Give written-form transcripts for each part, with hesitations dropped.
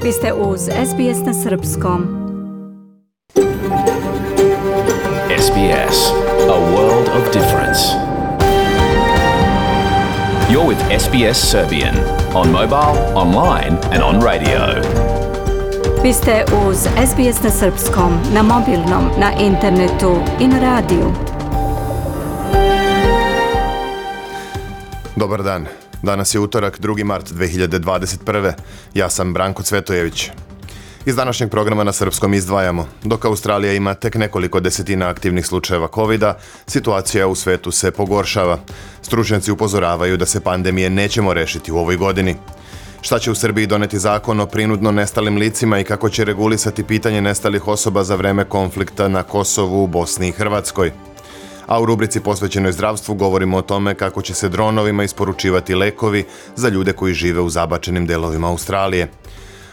Vi ste uz SBS na Srpskom. SBS, a world of difference. You're with SBS Serbian on mobile, online and on radio. Vi ste uz SBS na Srpskom, na mobilnom, na internetu i na radiju. Dobar dan. Danas je utorak, 2. mart 2021. Ja sam Branko Cvetojević. Iz današnjeg programa na srpskom izdvajamo. Dok Australija ima tek nekoliko desetina aktivnih slučajeva covida, situacija u svetu se pogoršava. Stručnjaci upozoravaju da se pandemije nećemo rešiti u ovoj godini. Šta će u Srbiji doneti zakon o prinudno nestalim licima i kako će regulisati pitanje nestalih osoba za vreme konflikta na Kosovu, Bosni i Hrvatskoj? A u rubrici posvećenoj zdravstvu govorimo o tome kako će se dronovima isporučivati lekovi za ljude koji žive u zabačenim delovima Australije.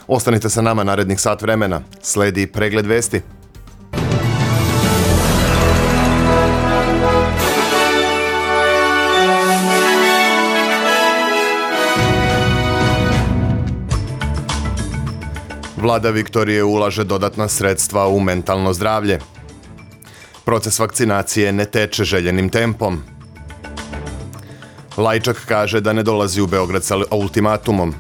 Ostanite sa nama narednih sat vremena. Sledi pregled vesti. Vlada Viktorije ulaže dodatna sredstva u mentalno zdravlje. Proces vakcinacije ne teče željenim tempom. Lajčak kaže da ne dolazi u Beograd sa ultimatumom.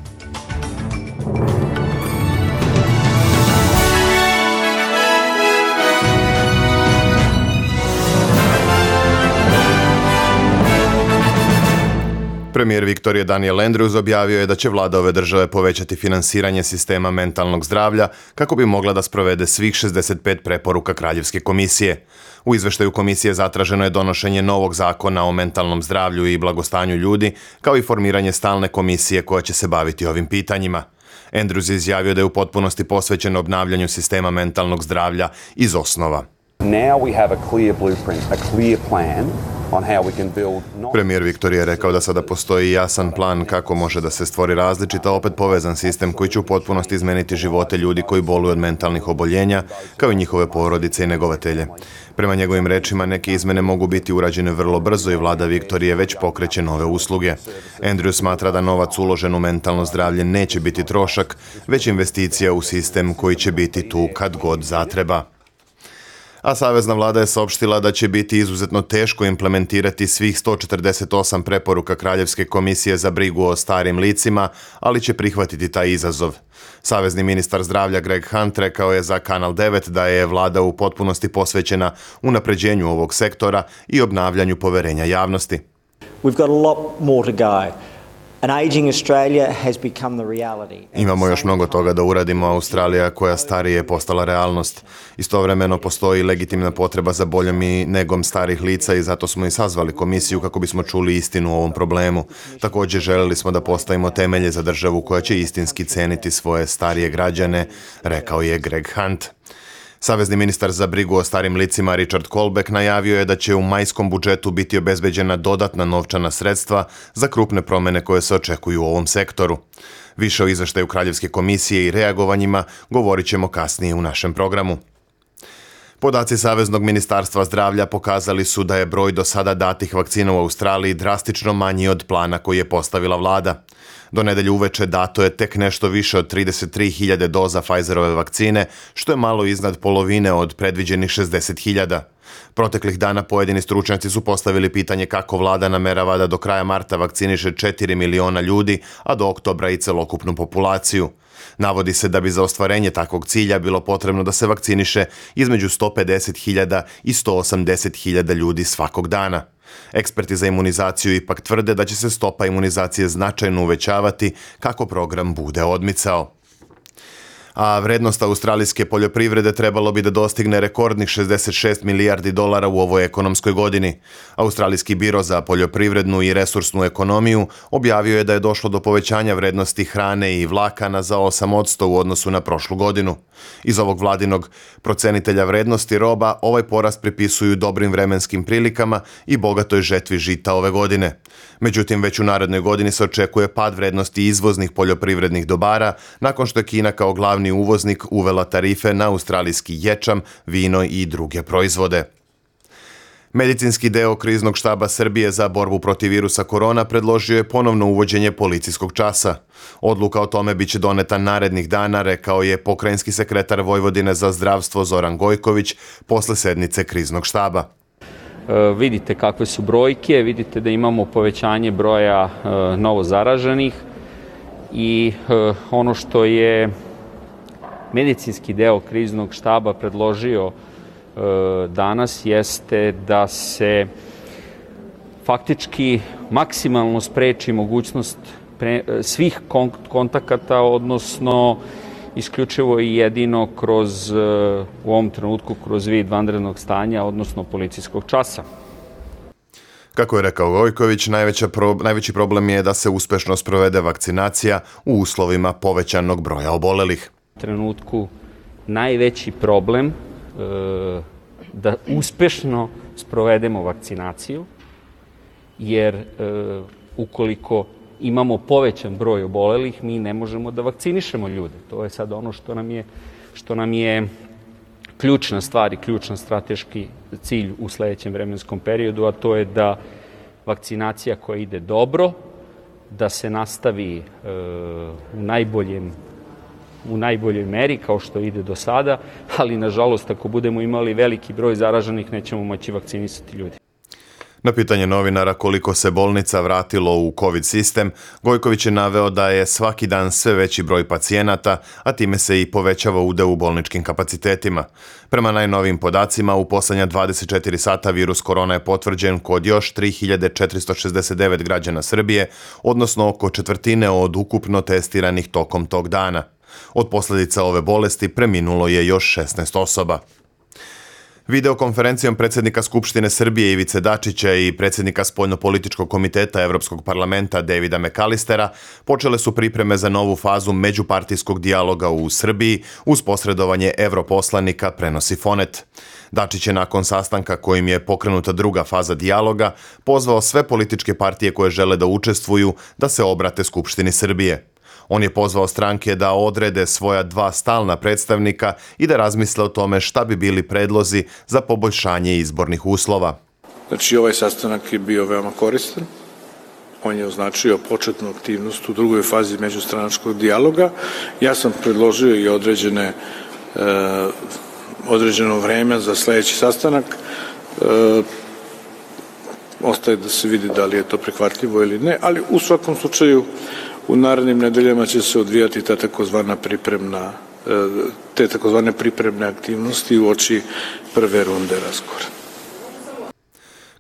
Premijer Viktorije Daniel Andrews objavio je da će vlada ove države povećati finansiranje sistema mentalnog zdravlja kako bi mogla da sprovede svih 65 preporuka Kraljevske komisije. U izveštaju komisije zatraženo je donošenje novog zakona o mentalnom zdravlju i blagostanju ljudi, kao i formiranje stalne komisije koja će se baviti ovim pitanjima. Andrews je izjavio da je u potpunosti posvećen obnavljanju sistema mentalnog zdravlja iz osnova. Premijer Viktorije je rekao da sada postoji jasan plan kako može da se stvori različit, a opet povezan sistem koji će u potpunosti izmeniti živote ljudi koji boluju od mentalnih oboljenja, kao i njihove porodice i negovatelje. Prema njegovim rečima, neke izmene mogu biti urađene vrlo brzo i vlada Viktorije već pokreće nove usluge. Andrew smatra da novac uložen u mentalno zdravlje neće biti trošak, već investicija u sistem koji će biti tu kad god zatreba. A savezna vlada je saopštila da će biti izuzetno teško implementirati svih 148 preporuka Kraljevske komisije za brigu o starim licima, ali će prihvatiti taj izazov. Savezni ministar zdravlja Greg Hunt rekao je za Kanal 9 da je vlada u potpunosti posvećena unapređenju ovog sektora i obnavljanju poverenja javnosti. We've got a lot more to go. Imamo još mnogo toga da uradimo, a Australija koja starije je postala realnost. Istovremeno postoji legitimna potreba za boljom i negom starih lica i zato smo i sazvali komisiju kako bismo čuli istinu o ovom problemu. Također želeli smo da postavimo temelje za državu koja će istinski ceniti svoje starije građane, rekao je Greg Hunt. Savezni ministar za brigu o starim licima Richard Colbeck najavio je da će u majskom budžetu biti obezbeđena dodatna novčana sredstva za krupne promene koje se očekuju u ovom sektoru. Više o izveštaju Kraljevske komisije i reagovanjima govorit ćemo kasnije u našem programu. Podaci Saveznog ministarstva zdravlja pokazali su da je broj do sada datih vakcina u Australiji drastično manji od plana koji je postavila vlada. Do nedelje uveče dato je tek nešto više od 33.000 doza Pfizerove vakcine, što je malo iznad polovine od predviđenih 60.000. Proteklih dana pojedini stručnjaci su postavili pitanje kako vlada namerava da do kraja marta vakciniše 4 miliona ljudi, a do oktobra i celokupnu populaciju. Navodi se da bi za ostvarenje takvog cilja bilo potrebno da se vakciniše između 150.000 i 180.000 ljudi svakog dana. Eksperti za imunizaciju ipak tvrde da će se stopa imunizacije značajno uvećavati kako program bude odmicao. A vrednost australijske poljoprivrede trebalo bi da dostigne rekordnih 66 milijardi dolara u ovoj ekonomskoj godini. Australijski biro za poljoprivrednu i resursnu ekonomiju objavio je da je došlo do povećanja vrednosti hrane i vlakana za 8% u odnosu na prošlu godinu. Iz ovog vladinog procenitelja vrednosti roba ovaj porast pripisuju dobrim vremenskim prilikama i bogatoj žetvi žita ove godine. Međutim, već u narednoj godini se očekuje pad vrednosti izvoznih poljoprivrednih dobara nakon što je Kina kao glavni uvoznik uvela tarife na australijski ječam, vino i druge proizvode. Medicinski deo kriznog štaba Srbije za borbu protiv virusa korona predložio je ponovno uvođenje policijskog časa. Odluka o tome biće doneta narednih dana, rekao je pokrajinski sekretar Vojvodine za zdravstvo Zoran Gojković posle sednice kriznog štaba. Vidite kakve su brojke, vidite da imamo povećanje broja novo zaraženih i ono što je medicinski deo kriznog štaba predložio danas jeste da se faktički maksimalno spreči mogućnost svih kontakata, odnosno isključivo i jedino u ovom trenutku kroz vid vanrednog stanja, odnosno policijskog časa. Kako je rekao Gojković, najveći problem je da se uspešno sprovede vakcinacija u uslovima povećanog broja obolelih. U trenutku najveći problem da uspešno sprovedemo vakcinaciju, jer ukoliko imamo povećan broj obolelih, mi ne možemo da vakcinišemo ljude. To je sad ono što nam je ključna stvar i ključan strateški cilj u sledećem vremenskom periodu, a to je da vakcinacija koja ide dobro, da se nastavi u najboljoj meri kao što ide do sada, ali nažalost ako budemo imali veliki broj zaraženih nećemo moći vakcinisati ljudi. Na pitanje novinara koliko se bolnica vratilo u COVID sistem, Gojković je naveo da je svaki dan sve veći broj pacijenata, a time se i povećava udeo u bolničkim kapacitetima. Prema najnovijim podacima, u poslednja 24 sata virus korona je potvrđen kod još 3469 građana Srbije, odnosno oko četvrtine od ukupno testiranih tokom tog dana. Od posljedica ove bolesti preminulo je još 16 osoba. Videokonferencijom predsjednika Skupštine Srbije Ivice Dačića i predsjednika Spoljnopolitičkog komiteta Evropskog parlamenta Davida McAllistera počele su pripreme za novu fazu međupartijskog dijaloga u Srbiji uz posredovanje europoslanika, prenosi Fonet. Dačić je nakon sastanka kojim je pokrenuta druga faza dijaloga pozvao sve političke partije koje žele da učestvuju da se obrate Skupštini Srbije. On je pozvao stranke da odrede svoja 2 stalna predstavnika i da razmisle o tome šta bi bili predlozi za poboljšanje izbornih uslova. Znači, ovaj sastanak je bio veoma koristan. On je označio početnu aktivnost u drugoj fazi međustranačkog dijaloga. Ja sam predložio i određeno vreme za sledeći sastanak. Ostaje da se vidi da li je to prihvatljivo ili ne, ali u svakom slučaju u narednim nedeljama će se odvijati te takozvane pripremne aktivnosti uoči prve runde razgovora.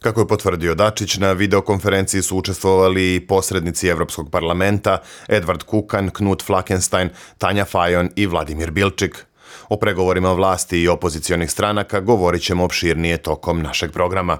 Kako je potvrdio Dačić, na videokonferenciji su učestvovali i posrednici Evropskog parlamenta Edvard Kukan, Knut Flakenstein, Tanja Fajon i Vladimir Bilčik. O pregovorima vlasti i opozicionih stranaka govorit ćemo opširnije tokom našeg programa.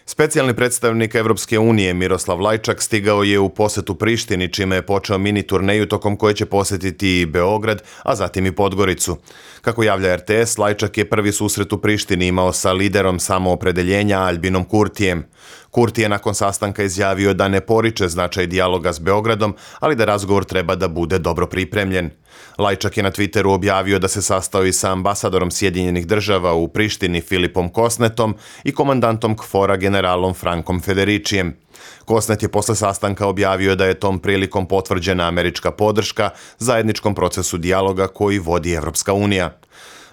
Specijalni predstavnik Evropske unije Miroslav Lajčak stigao je u posetu Prištini, čime je počeo mini turneju tokom koje će posetiti i Beograd, a zatim i Podgoricu. Kako javlja RTS, Lajčak je prvi susret u Prištini imao sa liderom samoopredeljenja Albinom Kurtijem. Kurti je nakon sastanka izjavio da ne poriče značaj dijaloga s Beogradom, ali da razgovor treba da bude dobro pripremljen. Lajčak je na Twitteru objavio da se sastao i sa ambasadorom Sjedinjenih država u Prištini Filipom Kosnetom i komandantom KFOR-a generalom Frankom Federičijem. Kosnet je posle sastanka objavio da je tom prilikom potvrđena američka podrška zajedničkom procesu dijaloga koji vodi Evropska unija.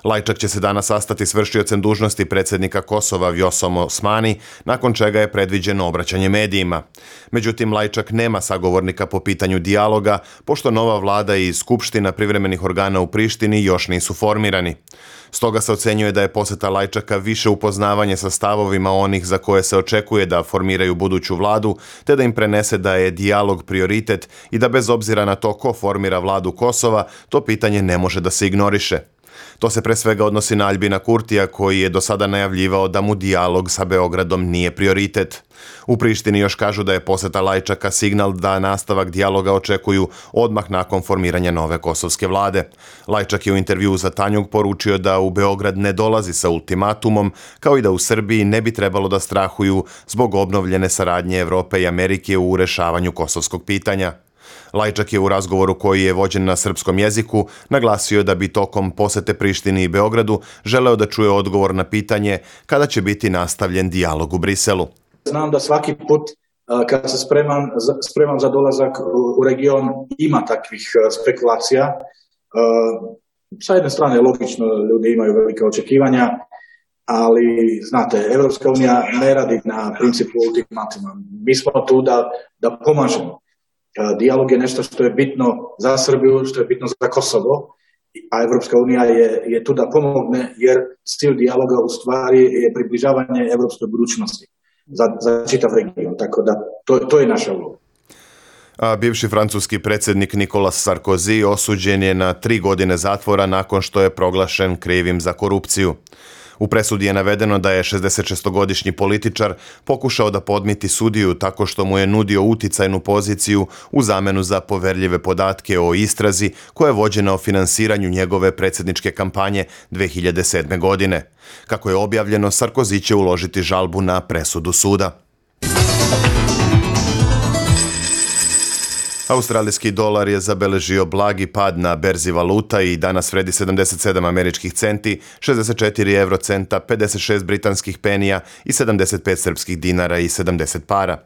Lajčak će se danas sastati s vršiocem dužnosti predsjednika Kosova Vjosom Osmani, nakon čega je predviđeno obraćanje medijima. Međutim, Lajčak nema sagovornika po pitanju dijaloga, pošto nova vlada i skupština privremenih organa u Prištini još nisu formirani. Stoga se ocenjuje da je poseta Lajčaka više upoznavanje sa stavovima onih za koje se očekuje da formiraju buduću vladu, te da im prenese da je dijalog prioritet i da bez obzira na to ko formira vladu Kosova, to pitanje ne može da se ignoriše. To se pre svega odnosi na Albina Kurtija, koji je do sada najavljivao da mu dijalog sa Beogradom nije prioritet. U Prištini još kažu da je poseta Lajčaka signal da nastavak dijaloga očekuju odmah nakon formiranja nove kosovske vlade. Lajčak je u intervjuu za Tanjug poručio da u Beograd ne dolazi sa ultimatumom, kao i da u Srbiji ne bi trebalo da strahuju zbog obnovljene saradnje Evrope i Amerike u rešavanju kosovskog pitanja. Lajčak je u razgovoru koji je vođen na srpskom jeziku naglasio da bi tokom posete Prištini i Beogradu želeo da čuje odgovor na pitanje kada će biti nastavljen dijalog u Briselu. Znam da svaki put kad se spreman za dolazak u region ima takvih spekulacija. Sa jedne strane logično ljudi imaju velike očekivanja, ali znate, Evropska unija ne radi na principu ultimatima. Mi smo tu da pomažemo. Dijalog je nešto što je bitno za Srbiju, što je bitno za Kosovo, a Evropska unija je tu da pomogne, jer cilj dijaloga u stvari je približavanje evropskoj budućnosti za čitav region. Tako da to je naša uloga. A bivši francuski predsjednik Nicolas Sarkozy osuđen je na 3 godine zatvora nakon što je proglašen krivim za korupciju. U presudi je navedeno da je 66-godišnji političar pokušao da podmiti sudiju tako što mu je nudio uticajnu poziciju u zamenu za poverljive podatke o istrazi koja je vođena o finansiranju njegove predsjedničke kampanje 2007. godine. Kako je objavljeno, Sarkozy će uložiti žalbu na presudu suda. Australijski dolar je zabeležio blagi pad na berzi valuta i danas vredi 77 američkih centi, 64 eurocenta, 56 britanskih penija i 75 srpskih dinara i 70 para.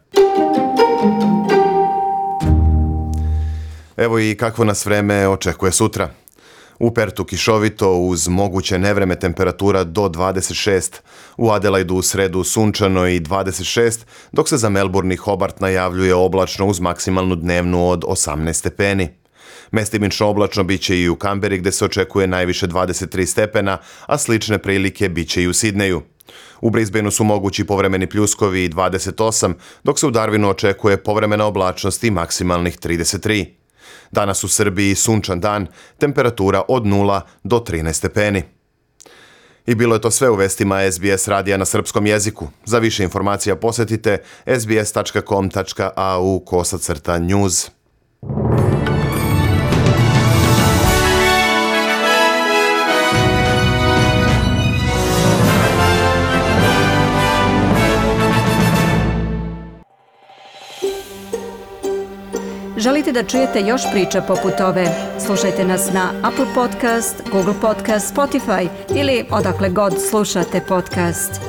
Evo i kakvo nas vreme očekuje sutra. U Pertu kišovito uz moguće nevreme temperatura do 26, u Adelaidu u sredu sunčano i 26, dok se za Melbourne i Hobart najavljuje oblačno uz maksimalnu dnevnu od 18 stepeni. Mestimično oblačno biće i u Kamberi gdje se očekuje najviše 23 stepena, a slične prilike biće i u Sidneju. U Brisbaneu su mogući povremeni pljuskovi i 28, dok se u Darwinu očekuje povremena oblačnost i maksimalnih 33. Danas u Srbiji sunčan dan, temperatura od 0 do 13 stepeni. I bilo je to sve u vestima SBS radija na srpskom jeziku. Za više informacija posjetite sbs.com.au/news. Želite da čujete još priča poput ove? Slušajte nas na Apple Podcast, Google Podcast, Spotify ili odakle god slušate podcast.